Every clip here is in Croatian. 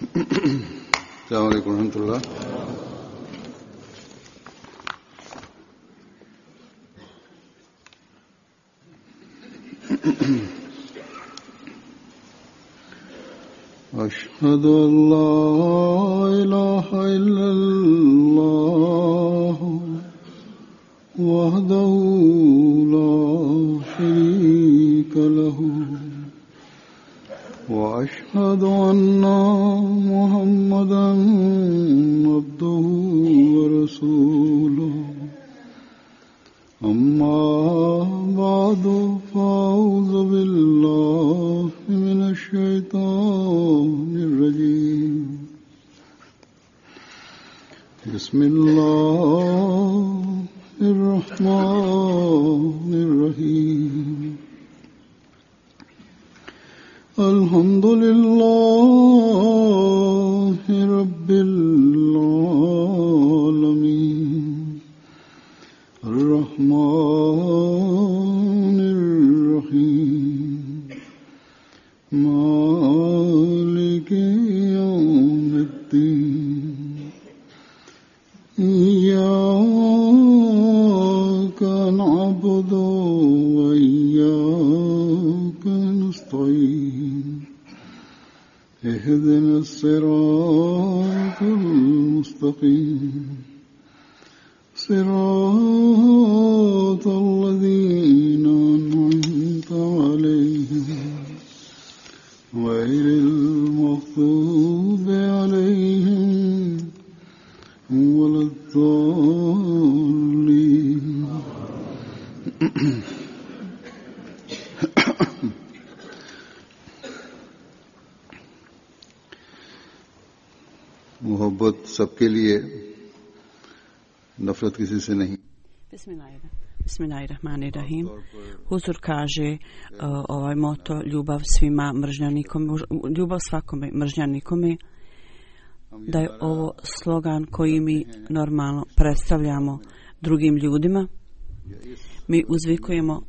अस्सलामु अलैकुम रहमतुल्लाह। أشهد أن لا إله إلا الله وحده لا شريك له وأشهد أن محمدا عبده ورسوله أما بعد فأعوذ بالله من الشيطان الرجيم بسم الله الرحمن الرحيم الحمد لله رب العالمين الرحمن الرحيم مالك يوم الدين إياك نعبد وإياك نستعين اهدنا الصراط المستقيم صراط الذين أنعمت عليهم غير المغضوب عليهم ولا الضالين मोहब्बत सबके लिए, नफरत किसी से नहीं। Bismillahirrahmanirrahim. Huzur kaže ovaj moto ljubav svima, mržnja nikome, ljubav svakome, mržnja nikome, da je ovo slogan koji mi normalno predstavljamo drugim ljudima. Mi uzvikujemo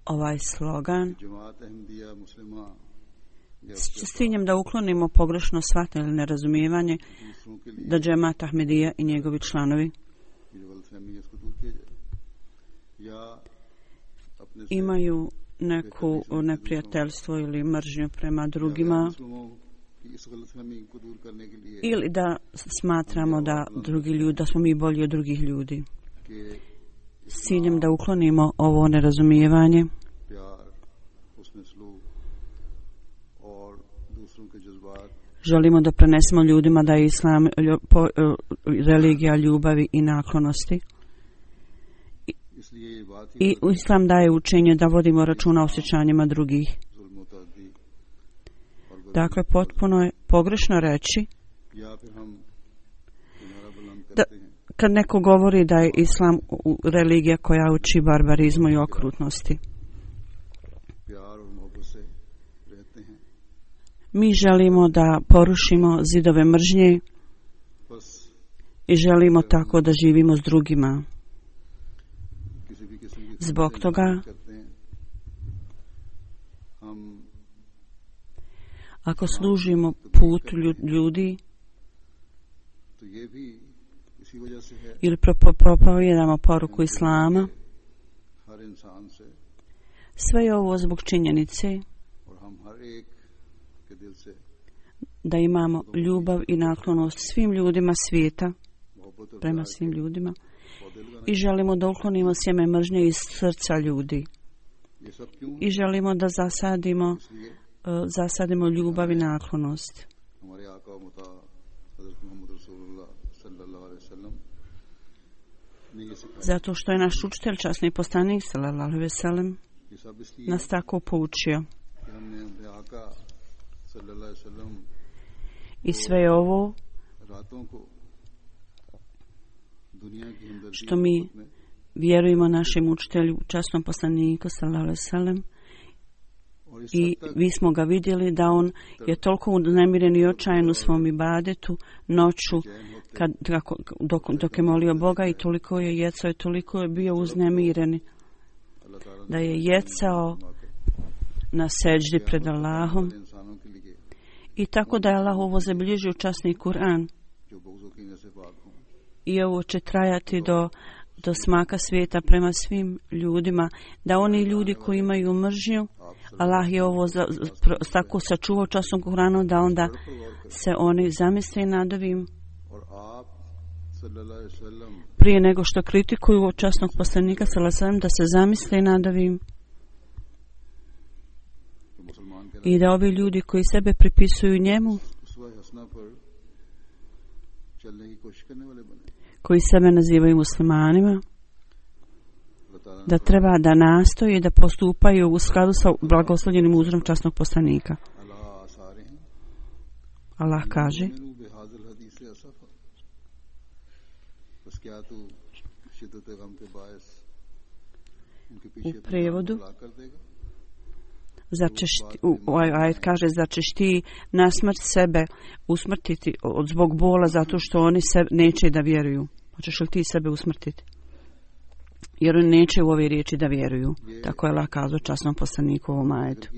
ovaj slogan s ciljem da uklonimo pogrešno shvatanje ili nerazumijevanje da džemat Ahmedija i njegovi članovi imaju neku neprijateljstvo ili mržnju prema drugima, ili da smatramo da drugi ljudi, da smo mi bolji od drugih ljudi. S ciljem da uklonimo ovo nerazumijevanje, želimo da prenesemo ljudima da je islam religija ljubavi i naklonosti. I islam daje učenje da vodimo računa o osjećanjima drugih. Dakle, potpuno je pogrešno reći da kad neko govori da je islam religija koja uči barbarizmu i okrutnosti. Mi želimo da porušimo zidove mržnje i želimo tako da živimo s drugima. Zbog toga, ako služimo putu ljudi ili propovijedamo poruku islama, sve je ovo zbog činjenice da imamo ljubav i naklonost svim ljudima svijeta, prema svim ljudima, i želimo da uklonimo sjeme mržnje iz srca ljudi i želimo da zasadimo ljubav i naklonost. Zato što je naš učitelj, časni poslanik sallallahu alejhi ve sellem, nas tako poučio. I sve je ovo što mi vjerujemo našem učitelju, časnom poslaniku sallallahu alejhi ve sellem, i vi smo ga vidjeli da on je toliko uznemiren i očajan u svom ibadetu noću dok je molio Boga, i toliko je jecao i toliko je bio uznemiren da je jecao na seđdi pred Allahom I tako da je Allah ovo zabilježio u časni Kur'an. I ovo će trajati do smaka svijeta prema svim ljudima, da oni ljudi koji imaju mržnju, Allah je ovo tako sačuvao časnom Kur'anu, da onda se oni zamisle nad ovim prije nego što kritikuju časnog poslanika sallallahu alejhi ve sellem, da se zamisle nad ovim i da ovi ljudi koji sebe pripisuju njemu, koji sebe nazivaju muslimanima, da treba da nastoje da postupaju u skladu sa blagoslovljenim uzorom časnog poslanika. Allah kaže u prevodu, ovaj ajet kaže, zar ćeš ti na smrt sebe usmrtiti zbog bola zato što oni neće da vjeruju? Hoćeš li ti sebe usmrtiti? Jer oni neće u ove riječi da vjeruju. Tako je Allah kazao časnom poslaniku u ovom ajetu.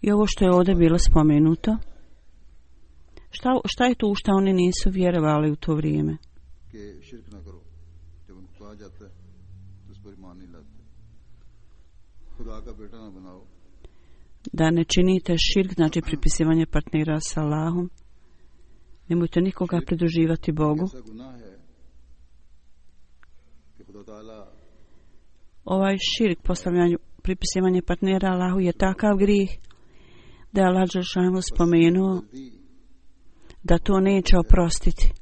I ovo što je ovdje bilo spomenuto, šta je to u šta oni nisu vjerovali u to vrijeme? Da ne činite širk, znači pripisivanje partnera sa Allahom. Nemojte nikoga pridruživati Bogu. Ovaj širk, postavljanje, pripisivanje partnera Allahu je takav grijeh da je Allah dželešanu spomenuo da to neće oprostiti.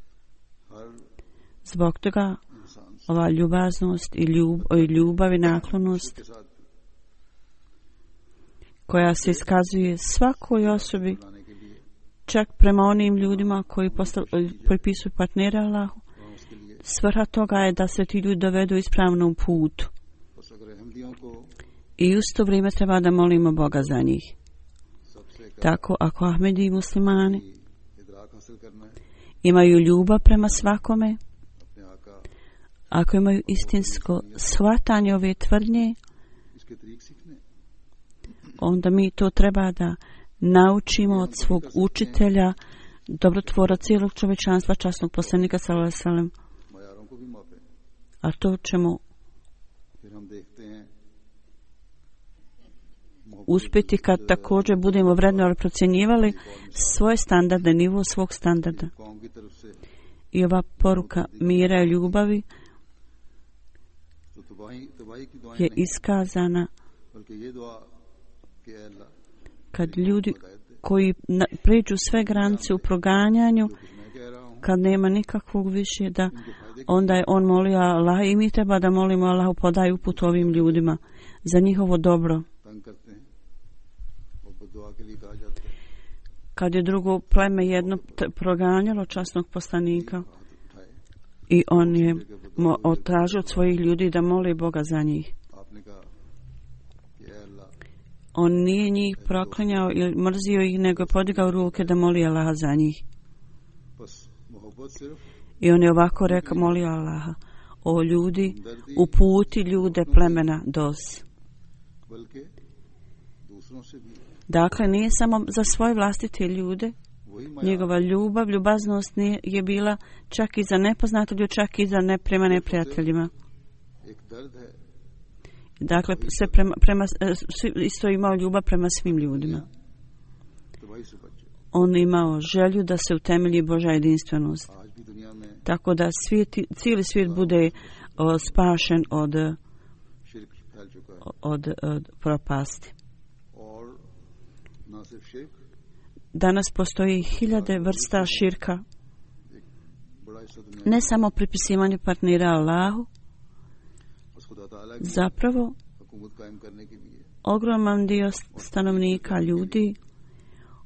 Zbog toga ova ljubaznost i ljubav i naklonost koja se iskazuje svakoj osobi, čak prema onim ljudima koji pripisuju partnera Allahu, svrha toga je da se ti ljudi dovedu ispravnom putu. I u to vrijeme treba da molimo Boga za njih. Tako, ako Ahmedi i muslimani imaju ljubav prema svakome, ako imaju istinsko shvatanje ove tvrdnje, onda mi to treba da naučimo od svog učitelja, dobrotvora cijelog čovječanstva, časnog poslanika sallallahu alejhi ve sellem. A to ćemo uspjeti kad također budemo vrednovali, procjenjivali svoje standarde, nivo svog standarda. I ova poruka mira i ljubavi je iskazana kad ljudi koji pređu sve granice u proganjanju, kad nema nikakvog više, da onda je on molio Allah i mi treba da molimo Allahu podaj uput ovim ljudima za njihovo dobro. Kad je drugo pleme jedno proganjalo časnog poslanika i on je tražio od svojih ljudi da moli Boga za njih. On nije njih proklinjao ili mrzio ih, nego je podigao ruke da moli Allaha za njih. I on je ovako rekao, molio Allaha: o ljudi, uputi ljude plemena Dos. Dakle, nije samo za svoje vlastite ljude. Njegova ljubav, ljubaznost je bila čak i za nepoznate ljude, čak i za prema neprijateljima. Dakle, isto imao ljubav prema svim ljudima. On imao želju da se utemelji Božja jedinstvenost. Tako da cijeli svijet bude spašen od propasti. Danas postoji 1000 vrsta širka. Ne samo pripisivanje partnera Allahu, zapravo ogroman dio stanovnika ljudi,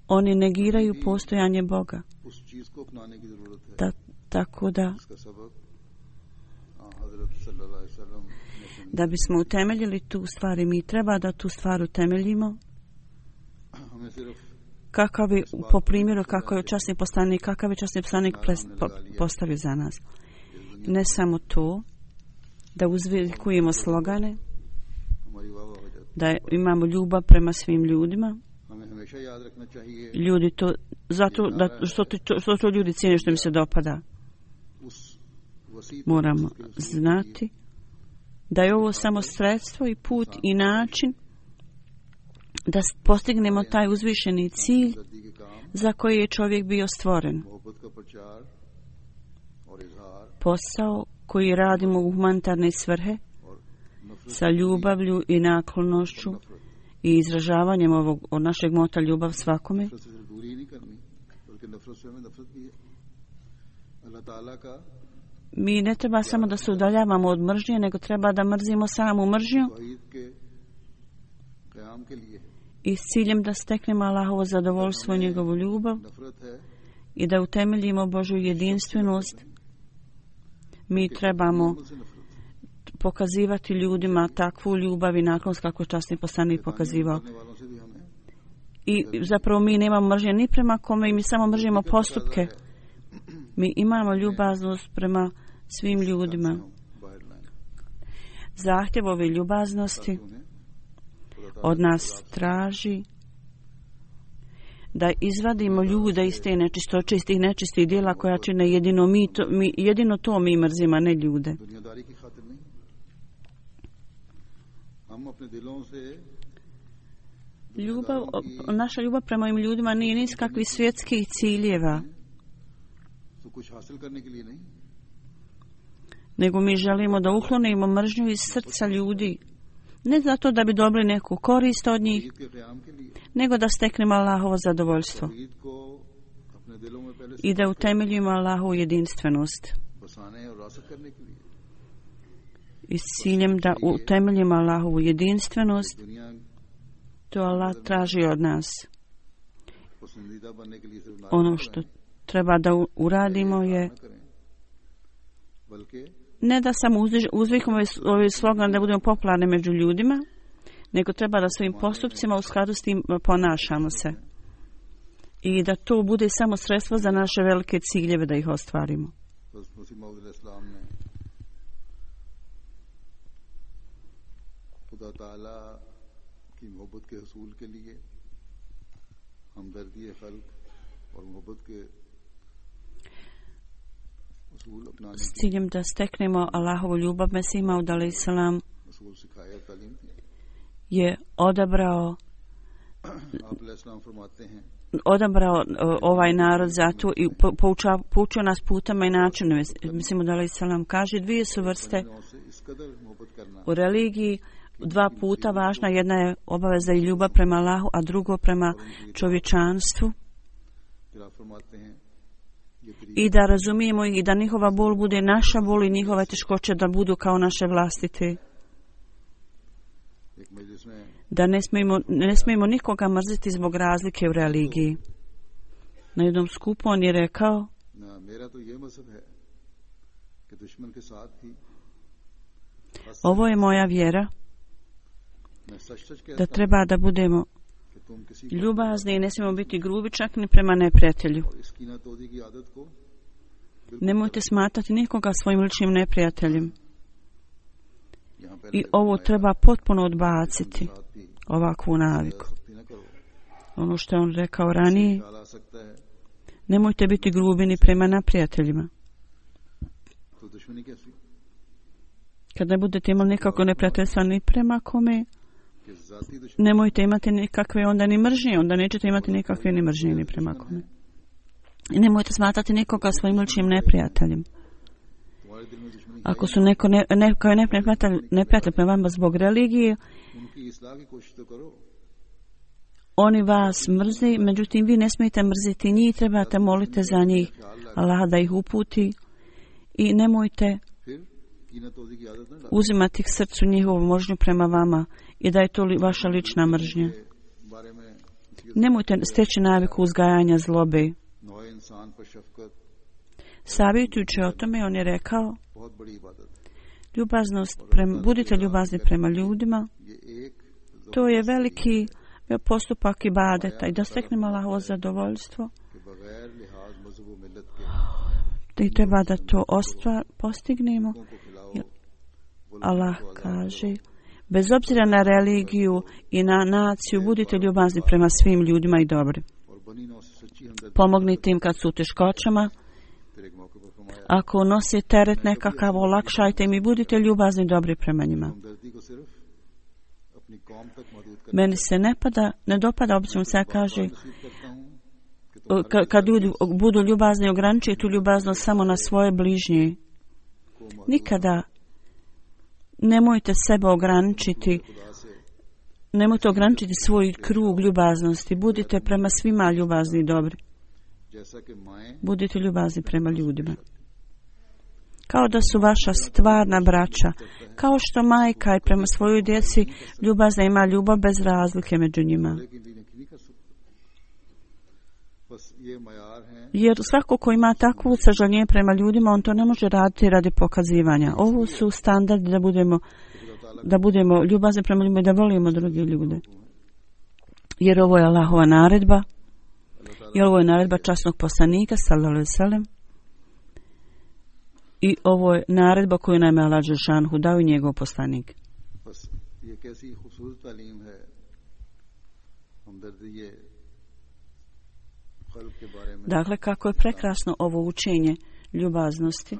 oni negiraju postojanje Boga. Tako da bismo utemeljili tu stvar, i mi treba da tu stvar utemeljimo, kakav je, po primjeru kako je časni poslanik, kakav je časni poslanik postavio za nas. Ne samo to, da uzvelikujemo slogane, da imamo ljubav prema svim ljudima. Ljudi to, zato da, što to ljudi cijene što mi se dopada. Moramo znati da je ovo samo sredstvo i put i način da postignemo taj uzvišeni cilj za koji je čovjek bio stvoren. Posao koji radimo u humanitarne svrhe sa ljubavlju i naklonošću i izražavanjem ovog od našeg mota ljubav svakome. Mi ne treba samo da se udaljavamo od mržnje, nego treba da mrzimo samu mržnju i s ciljem da steknemo Allahovo zadovoljstvo i njegovu ljubav i da utemeljimo Božju jedinstvenost. Mi trebamo pokazivati ljudima takvu ljubav i naklonost kako je časni poslanik pokazivao. I zapravo mi nemamo mržnje ni prema kome i mi samo mržimo postupke. Mi imamo ljubaznost prema svim ljudima. Zahtjev ove ljubaznosti od nas traži da izvadimo ljude iz te nečistoće, iz tih nečistih djela koja čine jedino to mi mrzimo, a ne ljude. Naša ljubav prema ovim ljudima nije niz kakvih svjetskih ciljeva, nego mi želimo da uklonimo mržnju iz srca ljudi, ne zato da bi dobili neku korist od njih, nego da steknemo Allahovo zadovoljstvo i da utemeljimo Allahovu jedinstvenost. I s ciljem da utemeljimo Allahovu jedinstvenost, to Allah traži od nas. Ono što treba da uradimo je ne da samo uzvikamo ovaj slogan da budemo popularni među ljudima, nego treba da svojim postupcima u skladu s tim ponašamo se. I da to bude samo sredstvo za naše velike ciljeve da ih ostvarimo. S ciljem da steknemo Allahovu ljubav, Mesih Maud alejhi selam je odabrao ovaj narod zato i poučio nas putama i načinima. Mesih Maud alejhi selam kaže, dvije su vrste u religiji, dva puta važna, jedna je obaveza i ljubav prema Allahu, a drugo prema čovječanstvu. I da razumijemo i da njihova bol bude naša bol i njihove teškoće da budu kao naše vlastite. Da ne smijemo nikoga mrziti zbog razlike u religiji. Na jednom skupu on je rekao, ovo je moja vjera, da treba da budemo ljubazni i ne smijemo biti grubi čak ni prema neprijatelju. Nemojte smatrati nikoga svojim ličnim neprijateljem. I ovo treba potpuno odbaciti, ovakvu naviku. Ono što je on rekao ranije, nemojte biti grubi ni prema neprijateljima. Kad ne budete imali nikako neprijateljstva ni prema kome, nemojte imati nikakve onda ni mržnje, onda nećete imati nikakve ni mržnje ni prema kome. I nemojte smatrati nikoga svojim ličnim neprijateljem. Ako su neko je neprijatelj prema vama zbog religije, oni vas mrze, međutim vi ne smijete mrziti njih, trebate molite za njih, Allah da ih uputi i nemojte uzimati k srcu njihovu mržnju prema vama i da je to vaša lična mržnja. Nemojte steći naviku uzgajanja zlobe. Savjetujući o tome, on je rekao, budite ljubazni prema ljudima, to je veliki postupak ibadeta i da steknemo Allahovo zadovoljstvo. I treba da to postignemo. Allah kaže, Bez obzira na religiju i na naciju, budite ljubazni prema svim ljudima i dobri. Pomognite im kad su u teškoćama. Ako nosi teret nekakav, olakšajte im i budite ljubazni i dobri prema njima. Meni se ne dopada, obično se kaže, kad ljudi budu ljubazni, ograničite tu ljubaznost samo na svoje bližnje. Nikada nemojte sebe ograničiti, nemojte ograničiti svoj krug ljubaznosti. Budite prema svima ljubazni i dobri. Budite ljubazni prema ljudima. Kao da su vaša stvarna braća. Kao što majka i prema svojoj djeci ljubazna ima ljubav bez razlike među njima. Jer svako ko ima takvu sažaljenje prema ljudima, on to ne može raditi radi pokazivanja. Ovo su standardi da budemo ljubazni prema ljudima i da volimo druge ljude. Jer ovo je Allahova naredba. I ovo je naredba časnog poslanika, sallallahu alejhi ve sellem. I ovo je naredba koju nam je Allah dželešanu dao i njegov poslanik. Dakle, kako je prekrasno ovo učenje ljubaznosti,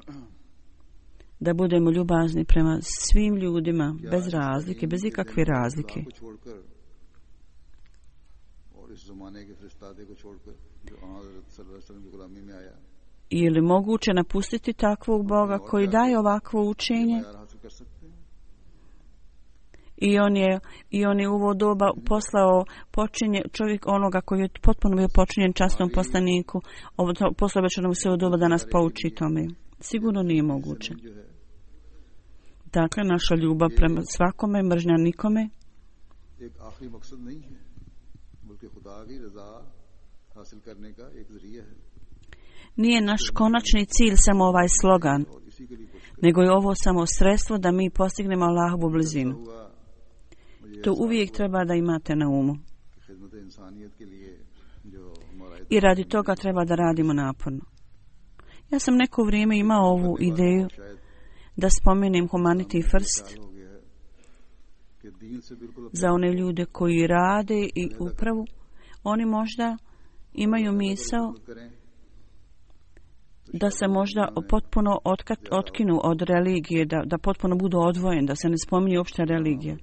da budemo ljubazni prema svim ljudima, bez razlike, bez ikakve razlike. Je li moguće napustiti takvog Boga koji daje ovakvo učenje? I on je u ovo doba poslao čovjek onoga koji je potpuno bio počinjen časnom poslaniku. Poslao već ono sve u doba da nas pouči tome. Sigurno nije moguće. Dakle, naša ljubav prema svakome, mržnja nikome. Nije naš konačni cilj samo ovaj slogan, nego je ovo samo sredstvo da mi postignemo Allahovu blizinu. To uvijek treba da imate na umu. I radi toga treba da radimo naporno. Ja sam neko vrijeme imao ovu ideju da spomenem Humanity First za one ljude koji rade i upravu. Oni možda imaju misao da se možda potpuno otkinu od religije, da potpuno budu odvojeni, da se ne spominje uopšte religija.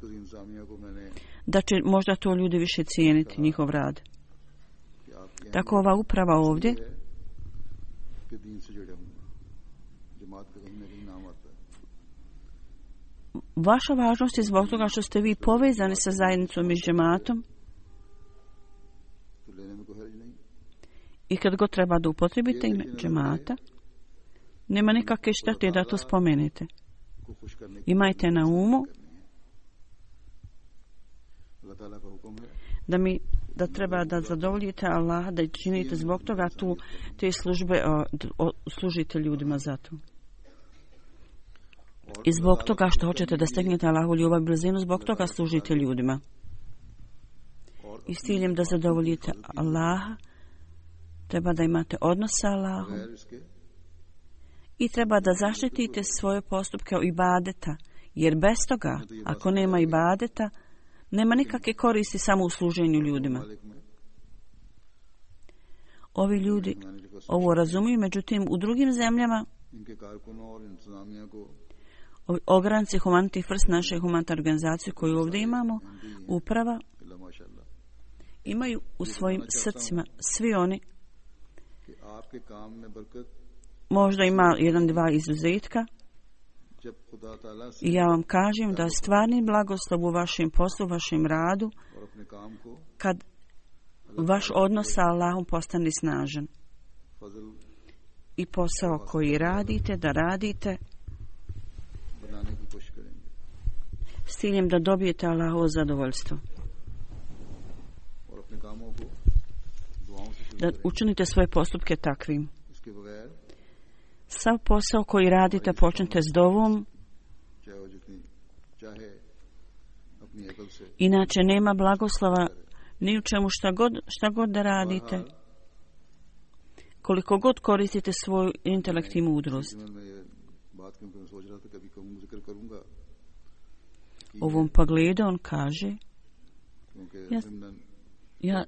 Da će možda to ljudi više cijeniti, njihov rad. Tako ova uprava ovdje vaša važnost je zbog toga što ste vi povezani sa zajednicom i džematom. I kad god treba da upotrebite ime džemata, nema nikakve štete da to spomenete. Imajte na umu da treba da zadovoljite Allaha, da činite zbog toga te službe, služite ljudima za to. I zbog toga što hoćete da stegnete Allahovu ljubav i blizinu, zbog toga služite ljudima. I s ciljem da zadovoljite Allaha, treba da imate odnos sa Allahom i treba da zaštitite svoje postupke ibadeta, jer bez toga, ako nema ibadeta, nema nikakve koristi samo u služenju ljudima. Ovi ljudi ovo razumiju, međutim u drugim zemljama ovi ogranci Humanity First, naše humanitarne organizacije koju ovdje imamo, uprava, imaju u svojim srcima svi oni. Možda ima jedan, dva izuzetka. I ja vam kažem da stvarni blagoslov u vašem poslu, vašem radu, kad vaš odnos sa Allahom postane snažan. I posao koji radite, da radite s ciljem da dobijete Allahovo zadovoljstvo. Da učinite svoje postupke takvim. Sav posao koji radite počnite s dovom. Inače nema blagoslova ni u čemu šta god da radite. Koliko god koristite svoju intelekt i mudrost. ovom pogledu. On kaže, ja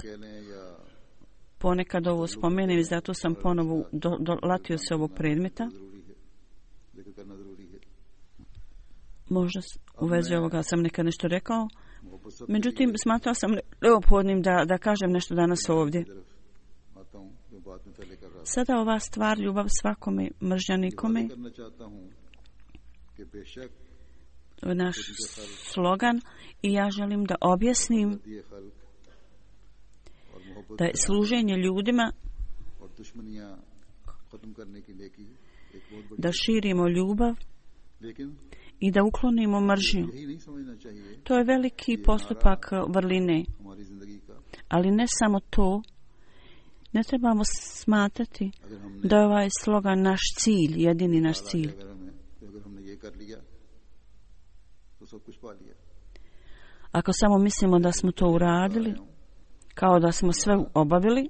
ponekad ovo spomenem i zato sam ponovo dolatio se ovog predmeta. Možda u vezi ovoga sam nekad nešto rekao. Međutim, smatrao sam neophodnim da kažem nešto danas ovdje. Sada ova stvar, ljubav svakome, mržnja nikome, to je naš slogan i ja želim da objasnim da je služenje ljudima, da širimo ljubav i da uklonimo mržnju. To je veliki postupak vrline. Ali ne samo to, ne trebamo smatrati da je ovaj slogan naš cilj, jedini naš cilj. Ako samo mislimo da smo to uradili, kao da smo sve obavili,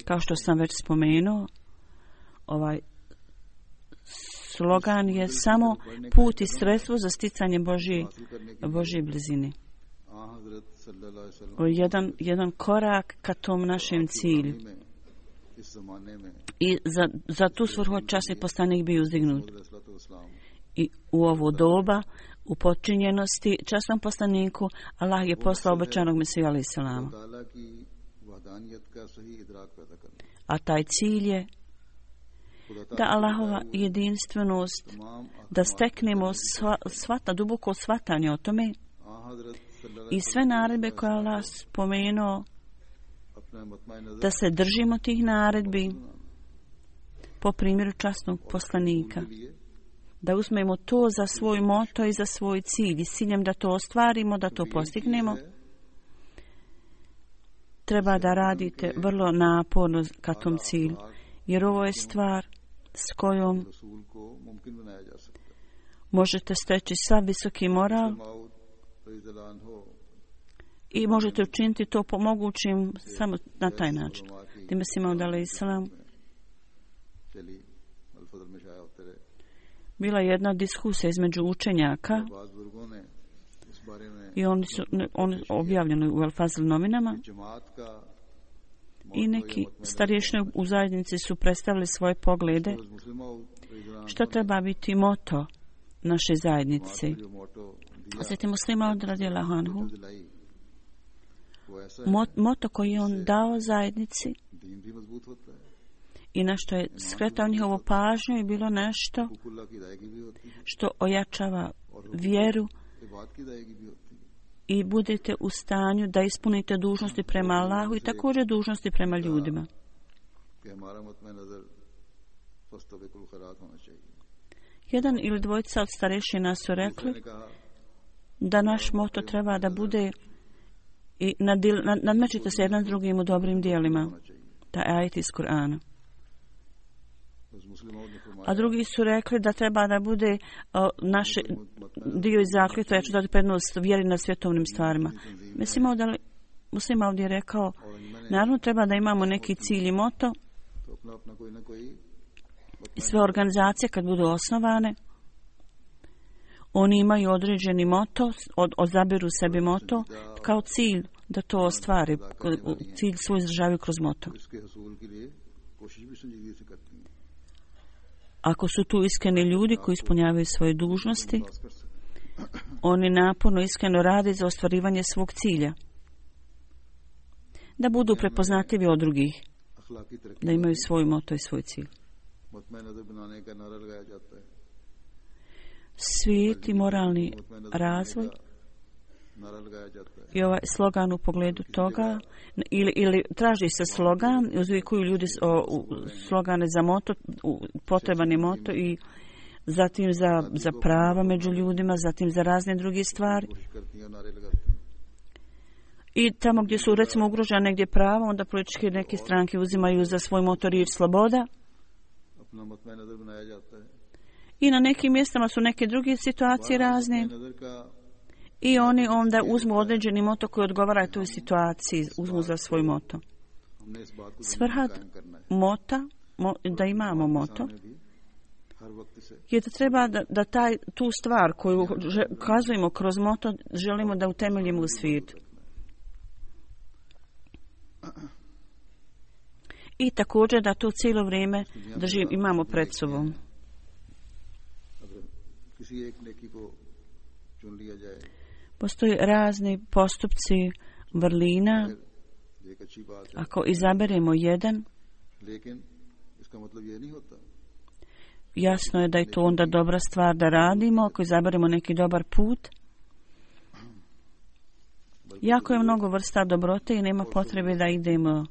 kao što sam već spomenuo, ovaj slogan je samo put i sredstvo za sticanje Božje blizine. Jedan korak ka tom našem cilju. I za tu svrhu časni poslanik bio uzdignut. I u ovo doba, u počinjenosti, časnom poslaniku, Allah je poslao obećanog Mesiju alejhi selama. A taj cilj je da Allahova jedinstvenost, da steknemo duboko shvatanje o tome i sve naredbe koje Allah spomenuo, da se držimo tih naredbi po primjeru časnog poslanika. Da uzmemo to za svoj moto i za svoj cilj i s ciljem da to ostvarimo, da to postignemo. Treba da radite vrlo naporno ka tom cilju, jer ovo je stvar s kojom možete steći sav visoki moral i možete učiniti to po mogućim samo na taj način. Time si Maud alejhi selam. Bila je jedna diskusija između učenjaka i oni objavljeni u El Fazl novinama i neki starješine u zajednici su predstavili svoje poglede što treba biti moto naše zajednice. Sveti Muslima radijallahu anhu, moto koji je on dao zajednici i na što je skretao njihovu pažnju je bilo nešto što ojačava vjeru i budete u stanju da ispunite dužnosti prema Allahu i također dužnosti prema ljudima. Jedan ili dvojica od starešina su rekli da naš moto treba da bude i nadmećite se jedan s drugim u dobrim dijelima. Taj ajet iz Kur'ana. A drugi su rekli da treba da bude naš dio iz zakletve, ja ću dati prednost vjeri na svjetovnim stvarima. Muslim ovdje je rekao, naravno treba da imamo neki cilj i moto i sve organizacije kad budu osnovane, oni imaju određeni moto, odaberu sebi moto kao cilj da to ostvari, cilj svoj izražavaju kroz moto. Ako su tu iskreni ljudi koji ispunjavaju svoje dužnosti, oni naporno iskreno rade za ostvarivanje svog cilja. Da budu prepoznatljivi od drugih, da imaju svoj moto i svoj cilj. Svijet i moralni razvoj i ovaj slogan u pogledu toga ili traži se slogan, uzvikuju ljudi slogane za moto, potreban je moto i zatim za prava među ljudima, zatim za razne druge stvari. I tamo gdje su recimo ugrožene negdje prava, onda političke neke stranke uzimaju za svoj moto riječ sloboda. I na nekim mjestama su neke druge situacije razne. I oni onda uzmu određeni moto koji odgovara toj situaciji, uzmu za svoj moto. Svrha mota, da imamo moto, je da treba da tu stvar koju ukazujemo kroz moto želimo da utemeljimo u svijetu. I također da to cijelo vrijeme imamo pred sobom. Postoje razni postupci vrlina. Ako izaberemo jedan, jasno je da je to onda dobra stvar da radimo. Ako izaberemo neki dobar put, jako je mnogo vrsta dobrote i nema potrebe da idemo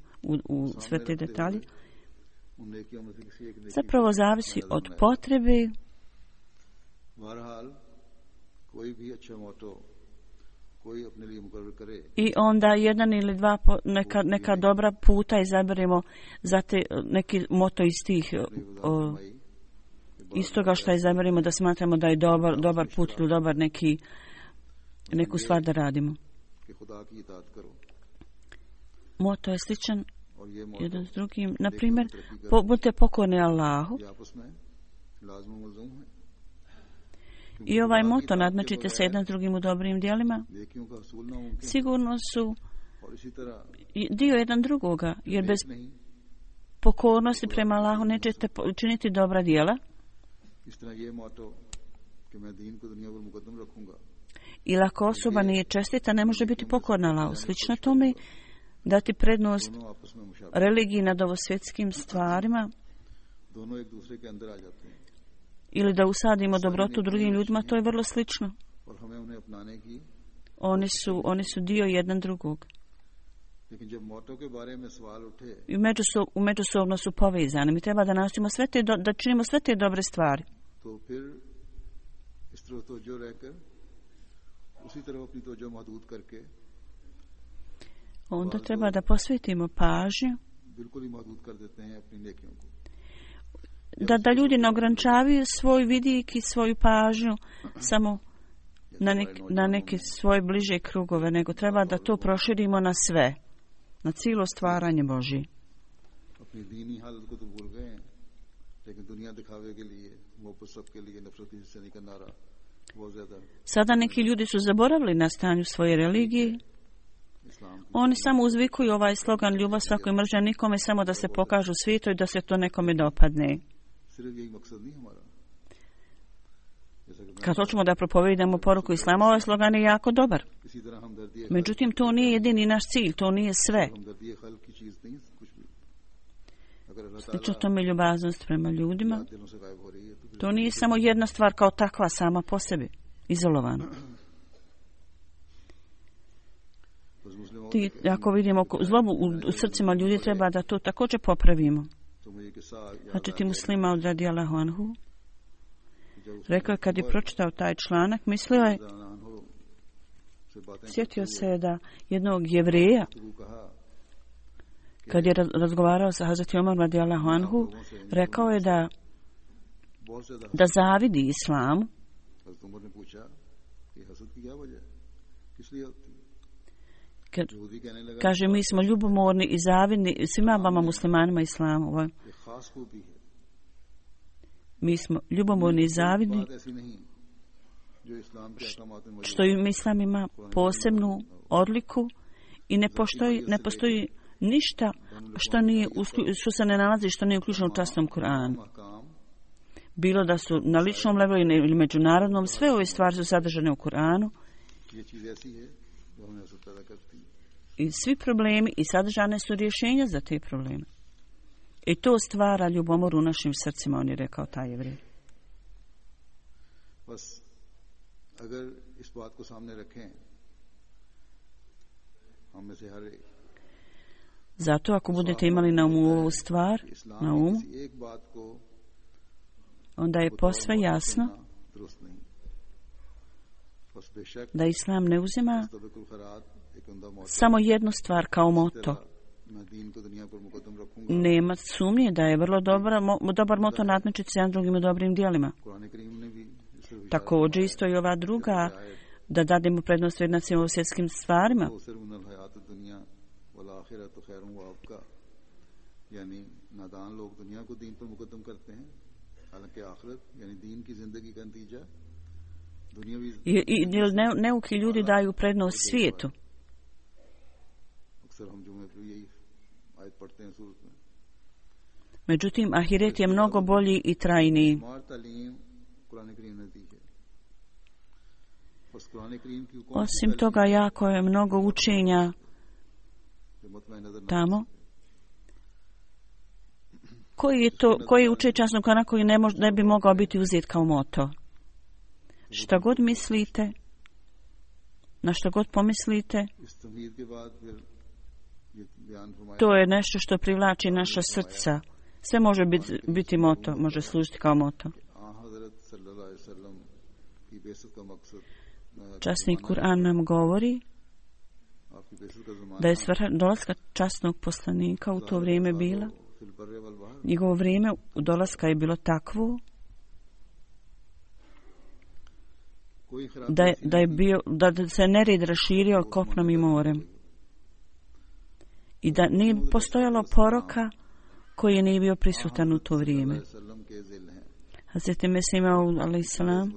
u sve te detalje. Zapravo zavisi od potrebe i onda jedan ili dva neka dobra puta izaberemo za te neki moto iz tih istoga što izaberemo da smatramo da je dobar put ili dobar neku stvar da radimo. Moto je sličan jedan s drugim. Na primjer, budite pokorni Allahu. I ovaj moto nadmačite se jedan s drugim u dobrim djelima. Sigurno su dio jedan drugoga, jer bez pokornosti prema Allahu nećete učiniti dobra djela. Ili ako osoba nije čestita, ne može biti pokorna Allahu. Slično tome, dati prednost religiji nad ovosvjetskim stvarima ili da usadimo dobrotu drugim ljudima, to je vrlo slično. Oni su dio jedan drugog. I međusobno su povezani. Mi treba da nastojimo da činimo sve te dobre stvari. Onda treba da posvetimo pažnju da ljudi ne ograničavaju svoj vidik i svoju pažnju samo na neke svoje bliže krugove, nego treba da to proširimo na sve, na cijelo stvaranje Božje. Sada neki ljudi su zaboravili na stanju svoje religije. Oni samo uzvikuju ovaj slogan ljubav svakoj mržnja nikome, samo da se pokažu svijetu i da se to nekome dopadne. Kad hoćemo da propovedamo poruku Islama, ovaj slogan je jako dobar. Međutim, to nije jedini naš cilj, to nije sve. Slično tome ljubaznost prema ljudima. To nije samo jedna stvar kao takva sama po sebi, izolovana. Ako vidimo zlobu u srcima ljudi, treba da to također popravimo. Znači Muslima od radijallahu anhu rekao je kad je pročitao taj članak, mislio je, sjetio se da jednog Jevreja, kad je razgovarao sa Hazreti Omar radijallahu anhu, rekao je da zavidi islamu. Kaže, mi smo ljubomorni i zavidni svima vama muslimanima islamu. Mi smo ljubomorni i zavidni što islam ima posebnu odliku i ne postoji ništa što se ne nalazi, što nije uključeno u časnom Kur'anu. Bilo da su na ličnom levelu ili međunarodnom, sve ove stvari su sadržane u Kur'anu. I svi problemi i sadržane su rješenja za te probleme. I to stvara ljubomor u našim srcima, on je rekao taj Jevrej. Zato ako budete imali na umu ovu stvar, na umu, onda je posve jasno da Islam ne uzima samo jednu stvar kao moto. Nema sumnje da je vrlo dobar moto nadmećiti se jedan drugim u dobrim djelima. Također isto i ova druga, da dademo prednost vrijednostima u svjetskim stvarima. I neuki ljudi daju prednost svijetu. Međutim, ahiret je mnogo bolji i trajniji. Osim toga, jako je mnogo učenja tamo. Koji uče časnog Kur'ana koji ne bi mogao biti uzet kao moto? Šta god mislite, na što god pomislite, to je nešto što privlači naša srca. Sve može biti moto, može služiti kao moto. Časni Kur'an nam govori da je svrha dolaska časnog poslanika u to vrijeme bila. Njegovo vrijeme dolaska je bilo takvo da se nered raširio kopnom i morem. I da nije postojalo poroka koji nije bio prisutan u to vrijeme. Hazreti Mesih Maud alejselam,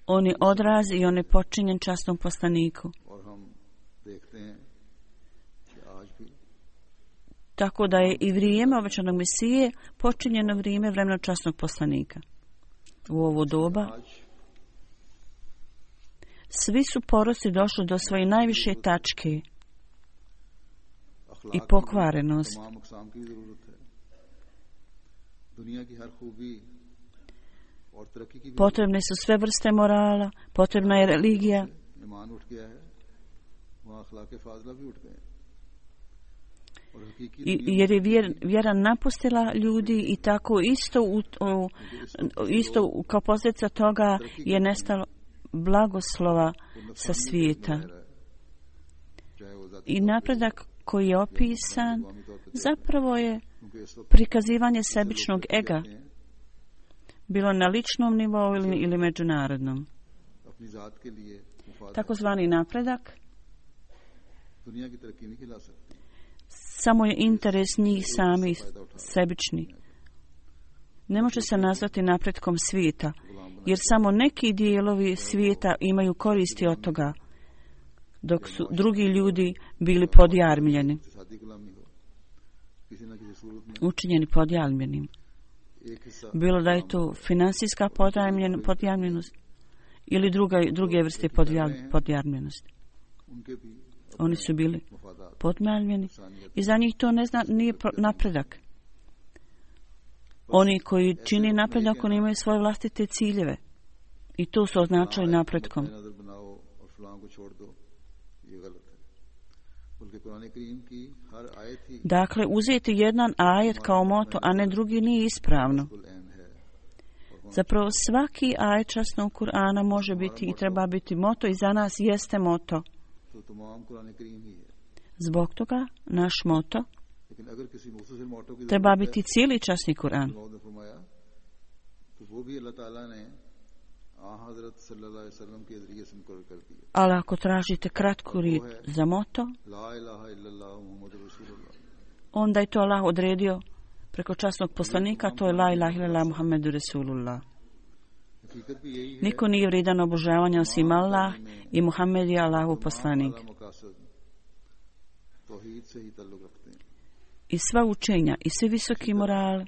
on je odraz i on je počinjen časnom poslaniku. Tako da je i vrijeme obećanog Mesije počinjeno vrijeme vremena časnog poslanika. U ovo doba svi su poroci došli do svoje najviše tačke i pokvarenost. Potrebne su sve vrste morala, potrebna je religija. Jer je vjera napustila ljudi i tako isto kao posljedica toga je nestalo blagoslova sa svijeta. I napredak koji je opisan zapravo je prikazivanje sebičnog ega, bilo na ličnom nivou ili međunarodnom. Takozvani napredak samo je interes njih samih, sebični. Ne može se nazvati napretkom svijeta, jer samo neki dijelovi svijeta imaju koristi od toga, dok su drugi ljudi bili podjarmljeni, učinjeni podjarmljenim. Bilo da je to finansijska podjarmljenost ili druge vrste podjarmljenosti. Oni su bili podjarmljeni i za njih to nije napredak. Oni koji čini napredak, oni imaju svoje vlastite ciljeve i to su označili napretkom. Dakle, uzeti jedan ajet kao moto, a ne drugi, nije ispravno. Zapravo, svaki ajet časnog Kur'ana može biti i treba biti moto i za nas jeste moto. Zbog toga, naš moto treba biti cijeli časni Kur'an. Ali ako tražite kratku riječ za moto, onda je to Allah odredio preko časnog poslanika, to je la ilaha illallah Muhammedu Rasulullah. Niko nije vrijedan obožavanja osim Allah i Muhammed je Allahov poslanik. I sva učenja i svi visoki morali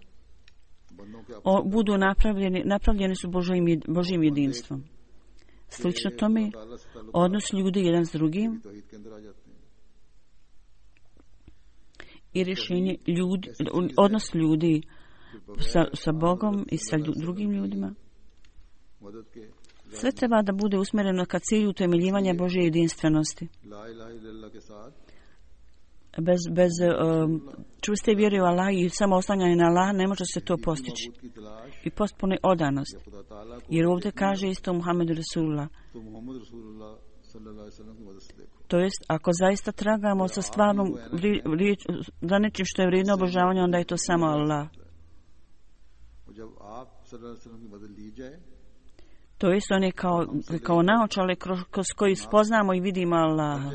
budu napravljeni su Božjim jedinstvom. Slično tome, odnos ljudi jedan s drugim i rješenje odnos ljudi sa Bogom i sa drugim ljudima. Sve treba da bude usmjereno ka cilju utemeljivanja Božje jedinstvenosti. Bez čvrste vjere u Allah i samo oslanjanje na Allah ne može se to postići. I potpune odanost. Jer ovdje kaže isto Muhammedu Rasulullah. To jest, ako zaista tragamo sa stvarnom za nečim što je vrijedno obožavanja, onda je to samo Allah. To jest, on je kao naočale kroz koji spoznamo i vidimo Allaha.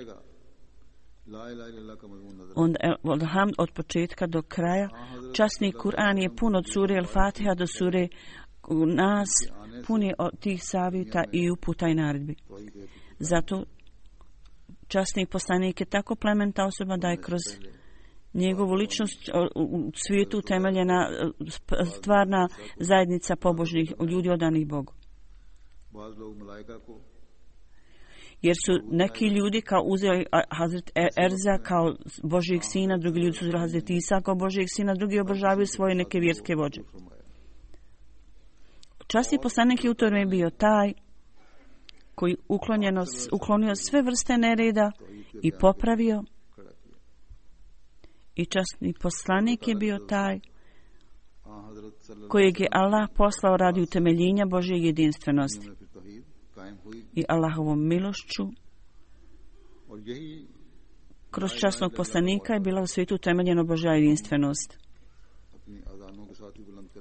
od početka do kraja. Časni Kur'an je pun od sure Al-Fatiha do sure Nas, pun je od tih savjeta i uputa i naredbi. Zato časni poslanik je tako plemenita osoba da je kroz njegovu ličnost u svijetu utemeljena stvarna zajednica pobožnih ljudi odanih Bogu. Jer su neki ljudi kao uzeli Hazret Erza kao Božijeg sina, drugi ljudi su uzeli Hazret Isa kao Božijeg sina, drugi obožavaju svoje neke vjerske vođe. Časni poslanik je u to vrijeme bio taj koji uklonio sve vrste nereda i popravio. I časni poslanik je bio taj kojeg je Allah poslao radi utemeljenja Božje jedinstvenosti. I Allahovom milošću kroz časnog poslanika je bila u svijetu utemeljena Božja jedinstvenost.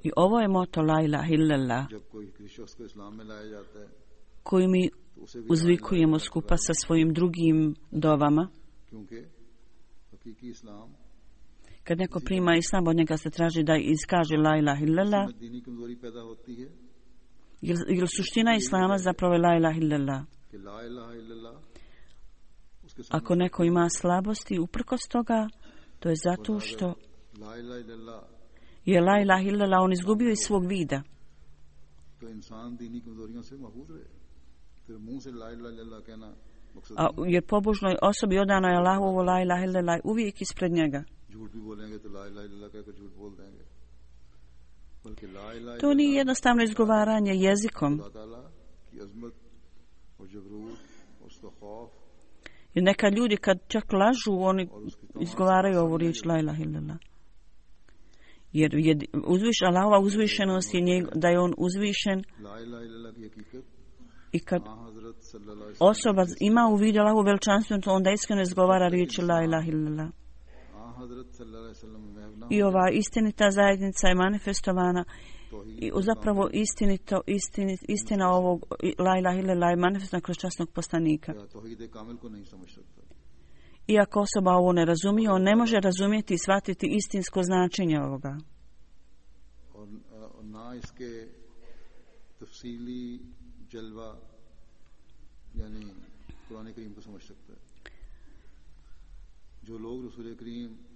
I ovo je moto La ilaha illallah koju mi uzvikujemo skupa sa svojim drugim dovama. Kad neko prima islam, od njega se traži da iskaže La ilaha illallah. Jer suština islama zapravo je La ilaha illallah. Ako neko ima slabosti uprkos toga, to je zato što je La ilaha illallah on izgubio iz svog vida. Jer pobožnoj osobi odano je Allahovo La ilaha illallah uvijek ispred njega. To nije jednostavno izgovaranje jezikom. Jer neka ljudi kad čak lažu, oni izgovaraju ovu riječ La ilaha illallah. Jer Allahova uzvišenost je da je on uzvišen. I kad osoba ima u vidu Allahovu veličanstvenu, onda iskreno izgovara riječ La ilaha illallah. I ova istinita zajednica je manifestovana i zapravo istina ovog La ilaha illallah je manifestovana kroz časnog poslanika. Iako osoba ovo ne razumije, on ne može razumjeti i shvatiti istinsko značenje ovoga.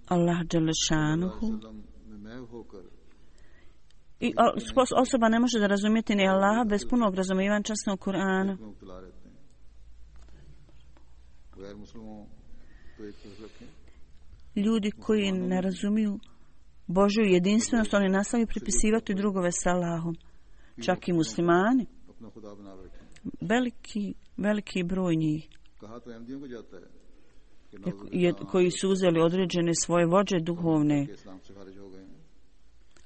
Allah Đelešanuhu i osoba ne može da razumjeti ni Allaha bez punog razumijevanja časnog Kur'ana. Ljudi koji ne razumiju Božju jedinstvenost, oni nastavljaju pripisivati drugove s Allahom. Čak i muslimani. Veliki broj njih. Koji su uzeli određene svoje vođe duhovne.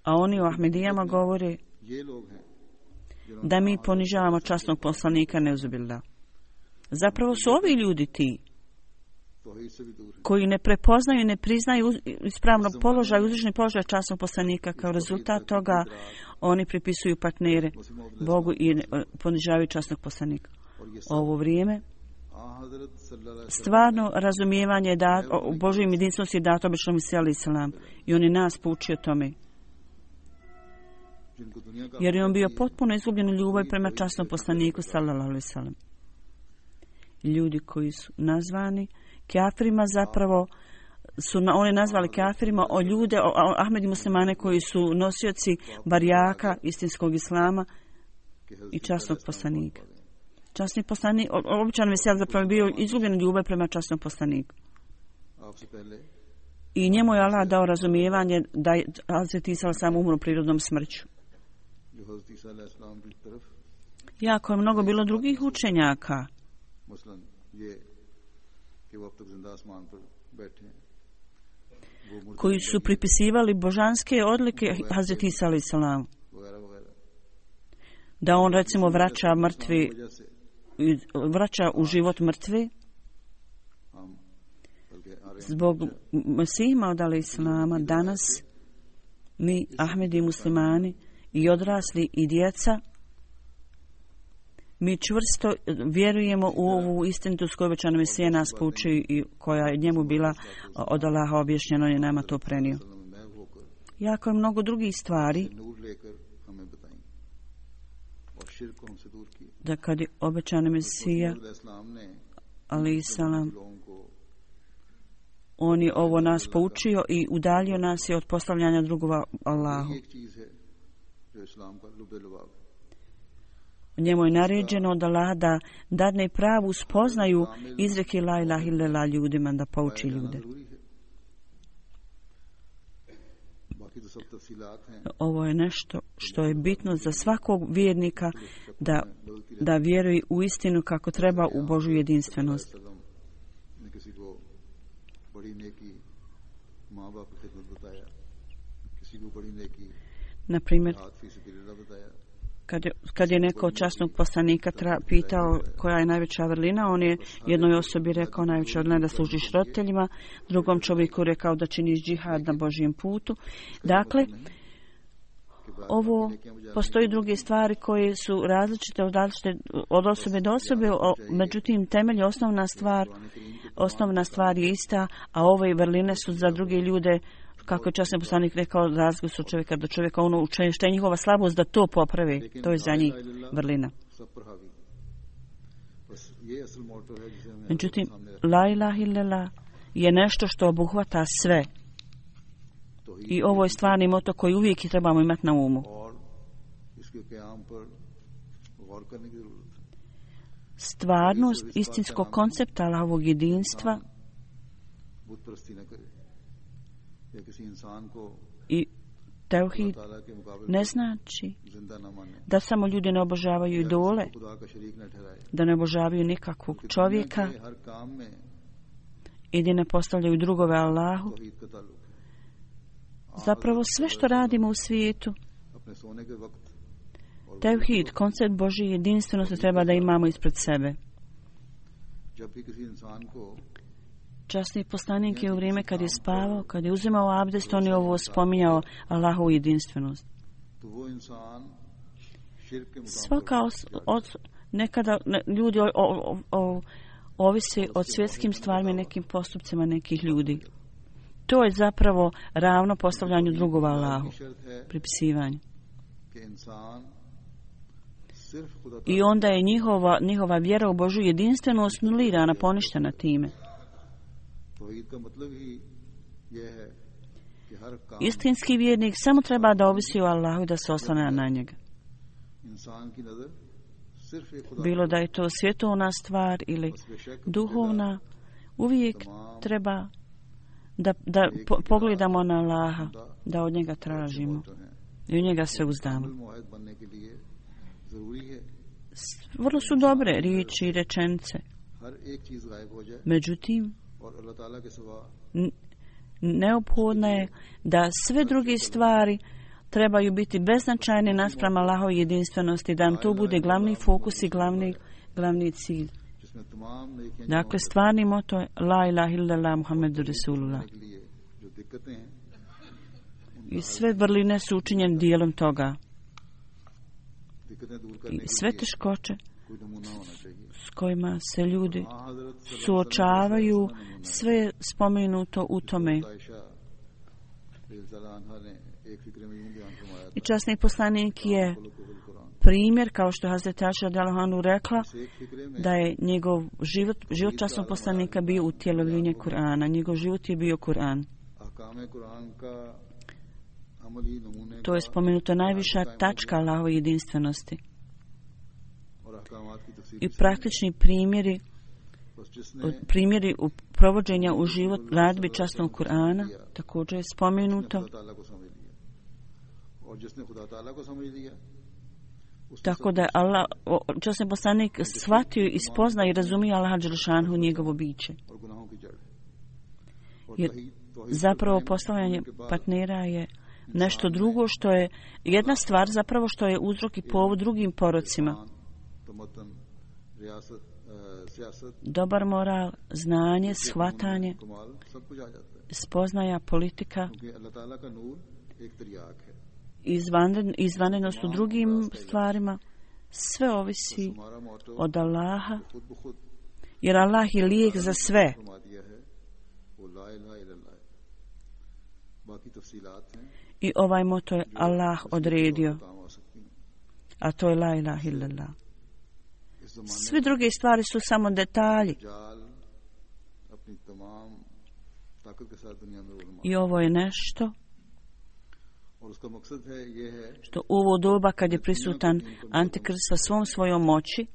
A oni u Ahmedijama govore da mi ponižavamo časnog poslanika neuzubillah. Zapravo su ovi ljudi ti koji ne prepoznaju i ne priznaju ispravno položaj, uzvišeni položaj časnog poslanika. Kao rezultat toga oni pripisuju partnere Bogu i ponižavaju časnog poslanika. Ovo vrijeme stvarno razumijevanje u Božoj jedinstvenosti je dato običnom Isa alejhi selam i on je nas poučio tome. Jer je on bio potpuno izgubljen u ljubavi prema časnom poslaniku sallallahu alejhi ve sellem. Ljudi koji su nazvani kafirima zapravo su oni nazvali kafirima o ljude, o Ahmedi muslimane koji su nosioci barijaka istinskog islama i časnog poslanika. Časni poslanik, običan Mesija zapravo bio izgubljen u ljubavi prema časnom poslaniku. I njemu je Allah dao razumijevanje da je Hazret Isa sam umro prirodnom smrću. Jako je mnogo bilo drugih učenjaka koji su pripisivali božanske odlike Hazret Isa alejhi selam. Da on recimo vraća u život mrtve. Zbog Mesihima od alejhi selama danas mi Ahmedi muslimani i odrasli i djeca Mi čvrsto vjerujemo u ovu istinitost koju obećani Mesija nas pouči i koja je njemu bila od Allaha objašnjena, on je nama to prenio. Jako je mnogo drugih stvari da kad je obećani Mesija alejhi selam, on je ovo nas poučio i udaljio nas je od postavljanja drugova Allahu. Njemu je naređeno od Allaha da dadne pravu spoznaju izreke la ilaha illallah ljudima, da pouči ljude. Ovo je nešto što je bitno za svakog vjernika da vjeruje u istinu kako treba u Božju jedinstvenost. Na primjer, kad je neko od časnog poslanika pitao koja je najveća vrlina, on je jednoj osobi rekao najveća vrlina da služiš roditeljima, drugom čovjeku rekao da činiš džihad na Božjem putu. Dakle, ovo postoji druge stvari koje su različite od osobe do osobe, međutim temelj, osnovna stvar je ista, a ove vrline su za druge ljude, kako je časni poslanik rekao, razliku su od čovjeka do čovjeka, ono što je njihova slabost da to poprave, to je za njih vrlina. Međutim, la ilaha illallah je nešto što obuhvata sve. I ovo je stvarni moto koji uvijek trebamo imati na umu. Stvarnost istinskog koncepta Allahovog jedinstva i tevhid ne znači da samo ljudi ne obožavaju idole, da ne obožavaju nikakvog čovjeka i da ne postavljaju drugove Allahu. Zapravo sve što radimo u svijetu, tevhid, koncept Božje jedinstvenosti treba da imamo ispred sebe. Časni poslanik je u vrijeme kad je spavao, kad je uzimao abdest, on je ovo spominjao Allahovu jedinstvenost. Nekada ljudi ovise od svjetskim stvarima i nekim postupcima nekih ljudi. To je zapravo ravno postavljanju drugova Allahu, pripisivanju. I onda je njihova vjera u Božju jedinstvenost nulirana, poništena time. Istinski vjernik samo treba da ovisi o Allahu i da se oslanja na njega. Bilo da je to svjetovna stvar ili duhovna, uvijek treba da pogledamo na Allaha, da od njega tražimo i u njega se uzdamo. Vrlo su dobre riječi i rečenice. Međutim, neophodno je da sve druge stvari trebaju biti beznačajne naspram Allahove jedinstvenosti, da nam to bude glavni fokus i glavni cilj. Dakle, stvarni moto je la ilaha illallah Muhammedu Rasulullah. I sve vrline su učinjene dijelom toga. I sve teškoće s kojima se ljudi suočavaju, sve spomenuto u tome. I časni poslanik je primjer, kao što je Hazreti Aša radijallahu anha rekla, da je njegov život časnog poslanika bio utjelovljenje Kur'ana. Njegov život je bio Kur'an. To je spomenuto najviša tačka Allahove jedinstvenosti. I praktični primjeri provođenja u život radbi časnog Kur'ana također je spomenuto. Tako da je časni poslanik shvatio i spoznao i razumio Allaha dželešanu njegovo biće. Jer zapravo postavljanje partnera je nešto drugo, što je jedna stvar zapravo što je uzrok i povod drugim porocima. Dobar moral, znanje, shvatanje, spoznaja, politika, izvanrednost u drugim stvarima Sve ovisi od Allaha, jer Allah je lijek za sve. I ovaj moto je Allah odredio, a to je la ilaha illallah. Sve druge stvari su samo detalji. I ovo je nešto što u ovo doba kad je prisutan Antikrist sa svom svojom moći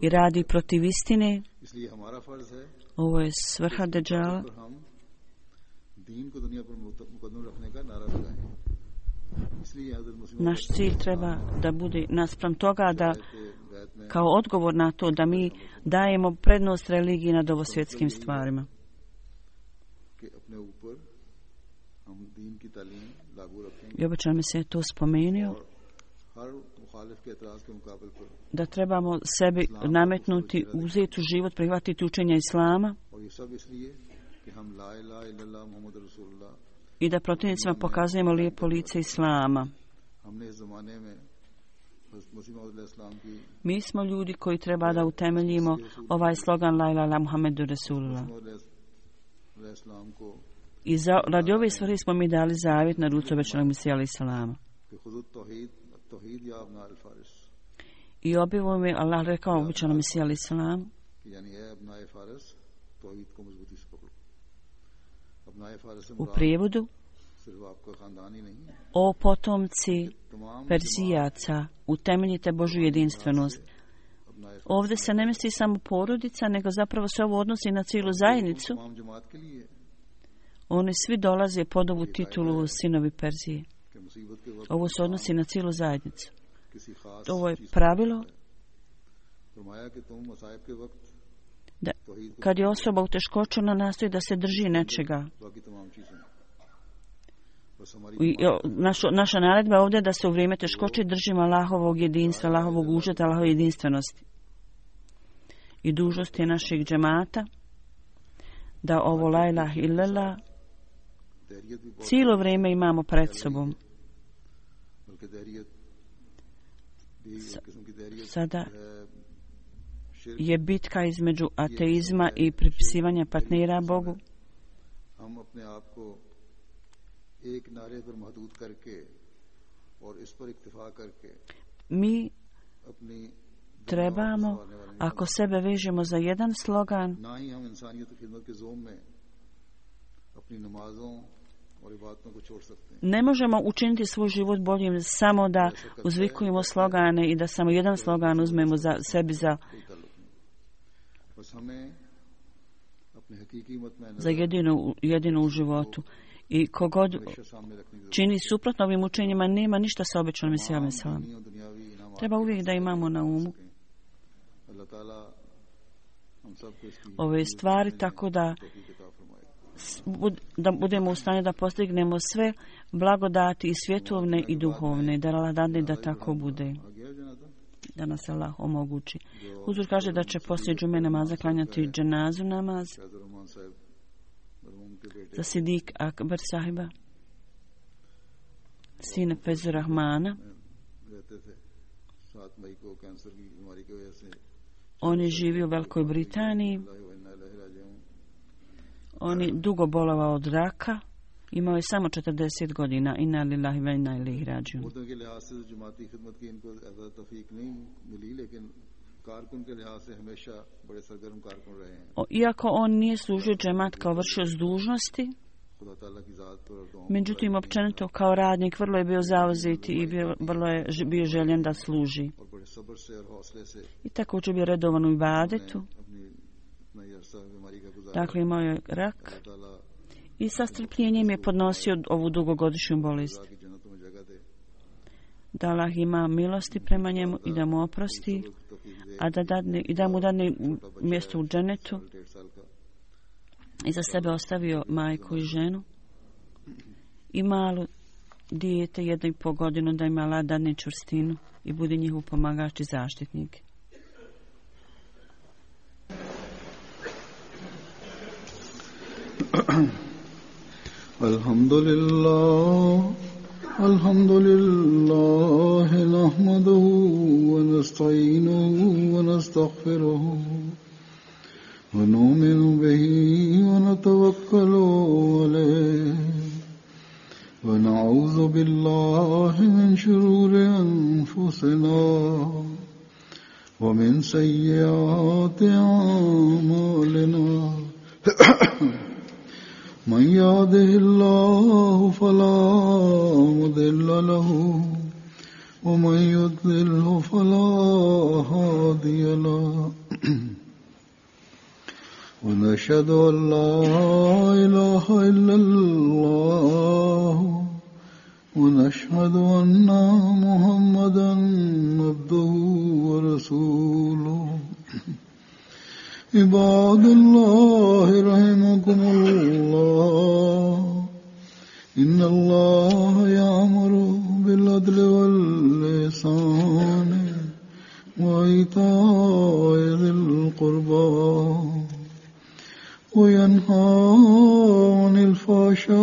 i radi protiv istine, ovo je svrha Dejjala. Naš cilj treba da bude naspram toga da kao odgovor na to da mi dajemo prednost religiji nad ovosvjetskim stvarima. I obično mi se je to spomenuo da trebamo sebi nametnuti, uzeti u život, prihvatiti učenja Islama i da protivnicima pokazujemo lijepo lice Islama. Mi smo ljudi koji treba da utemeljimo ovaj slogan La ilaha illallah Muhammedu Rasulullah. I radi ove stvari smo mi dali zavjet na ruci obećanog Mesija alejhi salama. I objavom mi Allah rekao obećanom Mesija alejhi salamu: u prijevodu, o potomci Perzijaca, utemeljite Božju jedinstvenost. Ovdje se ne misli samo porodica, nego zapravo se ovo odnosi na cijelu zajednicu. Oni svi dolaze pod ovu titulu sinovi Perzije. Ovo se odnosi na cijelu zajednicu. Ovo je pravilo da kad je osoba u teškoći, ona nastoji da se drži nečega. Naša naredba ovdje je da se u vrijeme teškoće držimo Allahovog jedinstva, Allahovog užeta, Allahove jedinstvenosti. I dužnost je našeg džemata da ovo la ilaha illallah cijelo vrijeme imamo pred sobom. Sada je bitka između ateizma i pripisivanja partnera Bogu. Mi trebamo, ako sebe vežemo za jedan slogan, ne možemo učiniti svoj život boljim samo da uzvikujemo slogane i da samo jedan slogan uzmemo za sebi za jedino u životu. I kogod čini suprotno ovim učenjima, nema ništa sa obećanim Mesijom alejhi selam. Treba uvijek da imamo na umu ove stvari, tako da budemo u stanju da postignemo sve blagodati i svjetovne i duhovne. Da Allah dadne da tako bude. Da nas Allah omogući. Huzur kaže da će poslije džume namaza klanjati dženazu namaz za Sidik Akbar sahiba, sine Fezur Rahmana. On je živio u Velikoj Britaniji. On je dugo bolovao od raka. Imao je samo 40 godina. Inna lillahi wa inna ilaihi rađiun. Iako on nije služio džemat kao vršioc dužnosti, međutim, općenito kao radnik vrlo je bio zauzet i vrlo je bio željen da služi. I također bio redovan u ibadetu. Dakle, imao je rak i sa strpljenjem je podnosio ovu dugogodišnju bolest. Da Allah ima milosti prema njemu i da mu oprosti, a da mu dadne mjesto u dženetu. I za sebe ostavio majku i ženu i malu dijete 1,5 godinu, da ima Allah dadne čvrstinu i budi njihov pomagač i zaštitnik. Alhamdulillah الحمد لله نحمده ونستعينه ونستغفره ونؤمن به ونتوكل عليه ونعوذ بالله من شرور أنفسنا ومن سيئات أعمالنا من يهده الله فلا مضل له ومن يضلله فلا هادي له ونشهد أن لا إله إلا الله ونشهد أن محمدا عبده ورسوله عباد الله رحمكم الله إن الله يأمر بالعدل والإحسان وإيتاء ذي القربى وينهى عن الفحشاء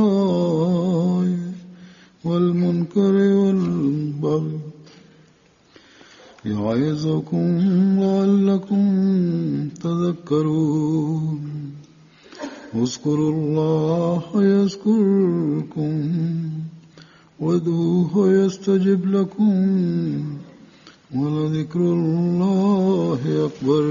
والمنكر والبغي يعظكم لعلكم تذكرون اذكروا الله يذكركم وادعوه يستجب لكم ولذكر الله أكبر